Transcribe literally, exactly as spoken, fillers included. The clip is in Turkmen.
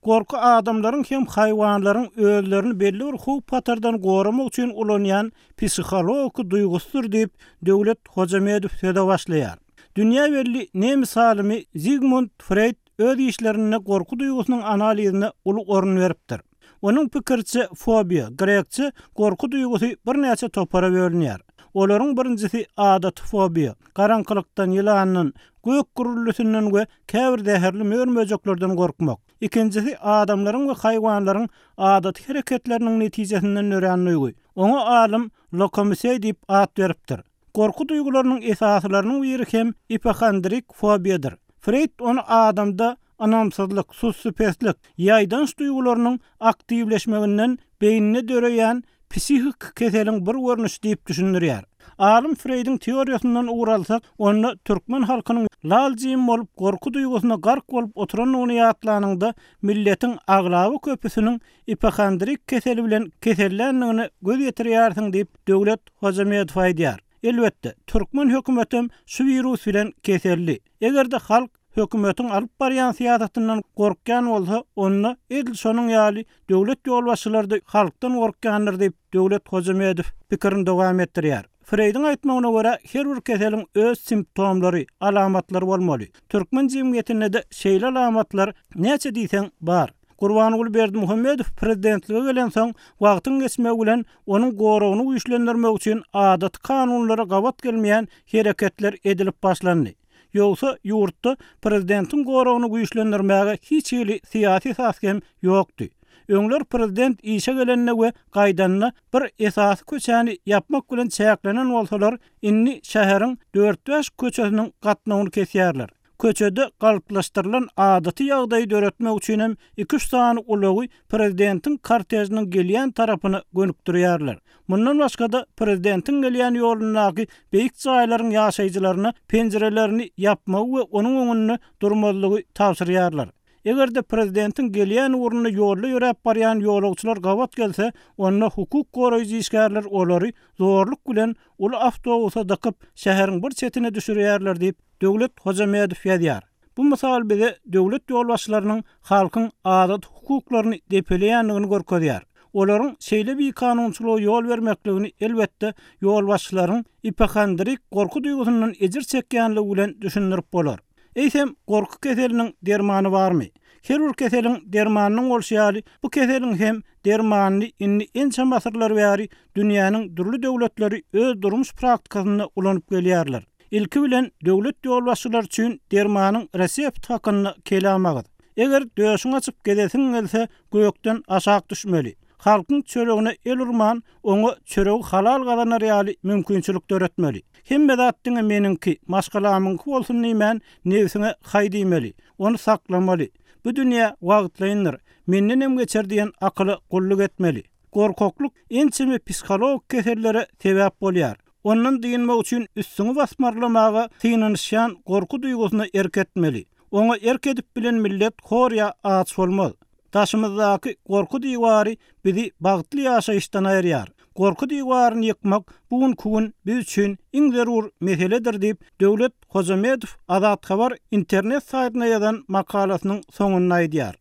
Gorky adamlaryň hem haýwanlaryň özlerini belli bir howp-hatardan goramak üçin ulanýan psihologik duýgusydyr diýip, Döwlet Hojamedow söze başlaýar. Dünýä belli nemes alymy Zigmund Freýd öz işlerinde gorky duýgusynyň analizine uly orun beripdir. Onuň pikiriçe fobiýa, grekçe gorky duýgusy birnäçe topara bölünýär. Olaryň birinjisi adaty fobiýa, garaňkylykdan, ýylandan, gök gürrüldisinden we käbir zäherli mör-möjeklerden gorkmak. Ikinjisi adamlaryň we haýwanlaryň adaty hereketleriniň netijesinden dörän duýgy. Oňa alym lokomoseý diýip at beripdir. Gorky duýgularynyň esaslarynyň biri hem ipohondrik fobiýadyr. Freýd ony adamda ynamsyzlyk, sussupeslik, ýaýdanç duýgularynyň aktiwleşmeginden beýninde döreýän psihik keseliň bir görnüşi diýip düşündirýär. Alym Freýdiň teoriýasyndan ugur alsak, onda türkmen halkynyň lal-jim bolup gorky duýgusyna gark bolup oturandygyny ýatlanynda milletiň aglaba köpüsiniň ipohondrik keseli bilen keselländigine göz ýetirýärsiň diýip Döwlet Hojamedow aýdýar. Elbetde, türkmen hökümetem şu wirus bilen keselli. Eger-de halk hökümetiň alyp barýan syýasatyndan gorkýan bolsa, onda edil şonuň ýaly döwlet ýolbaşçylary halkdan gorkýandyr diýip Döwlet Hojamedow pikirini dowam etdirýär. Freýdiň aýtmagyna görä, her bir keseliň öz simptomlary, alamatlary bolmaly. Türkmen jemgyýetinde-de şeýle alamatlar näçe diýseň bar. Gurbanguly Berdimuhamedow prezidentlige gelensoň, wagtyň geçmegi bilen onuň goragyny güýçlendirmek üçin adaty kanunlara gabat gelmeýän hereketler edilip başlandy. Ýogsa ýurtda prezidentiň goragyny güýçlendirmäge hiç hili syýasy esas hem ýokdy. Öňler prezident işe gelende we gaýdanda bir esasy köçäni ýapmak bilen çäklenen bolsalar, indi şäheriň dört-bäş köçesiniň gatnawyny kesýärler. Köçede galyplaşdyrylan adaty ýagdaýy döretmek üçin hem iki-üç sany ulagy prezidentiň kortejiniň gelýän tarapyna gönükdirýärler. Mundan başga-da prezidentiň gelýän ýolundaky beýik jaýlaryň ýaşaýjylaryna penjirelerini ýapmagy we onuň öňünde durmazlygy tabşyrýarlar. Eger-de prezidentiň gelýän ugrunda ýolda ýöräp barýan ýolagçylar gabat gelse, onda hukuk goraýjy işgärler olary zorluk bilen uly awtobusa dykyp, şäheriň bir çetine düşürýärler diýip Döwlet Hojamedow ýazýar. Bu mysal bize döwlet ýolbaşçylarynyň halkyň adaty hukuklaryny depeleýändigini görkezýär. Olaryň şeýle bir kanunçylyga ýol bermekligini elbetde ýolbaşçylaryň ipohondrik gorky duýgusyndan ejir çekýänligi bilen düşündirip bolar. Eýsem, gorky keseliniň dermany barmy? Her bir keseliň dermanynyň bolşy ýaly, bu keseliň hem dermanyny indi ençeme asyrlar bäri dünýäniň dürli döwletleri öz durmuş praktikasynda ulanyp gelýärler. Ilki bilen döwlet ýolbaşçylary üçin dermanyň resept hakynda kelam agyz. Eger döşüň açyp gezesiň gelse, gökden aşak düşmeli. Halkyň çöregine el urman, oňa çöregi halal gazanar ýaly mümkinçilik döretmeli. Hemme zat diňe meniňki, maşgalamyňky bolsun diýmän, nefsiňe haý diýmeli, ony saklamaly. Bu dünýä wagtlaýyndyr, menden hem geçer diýen akyla gulluk etmeli. Gorkaklyk ençeme psihologik kesellere sebäp bolýar. Ondan dynmak üçin üstüňi basmarlamaga synanyşýan gorky duýgusyna erk etmeli. Oňa erk edip bilen millet hor ýa aç bolmaz. Daşymyzdaky gorky diwary bizi bagtly ýaşaýyşdan aýyrýar. Gorky diwaryny ýykmak bu günkü gün biz üçin iň zerur meseledir diýip Döwlet Hojamedow Azat Habar internet saýtyna ýazan makalasynyň soňunda aýdýar.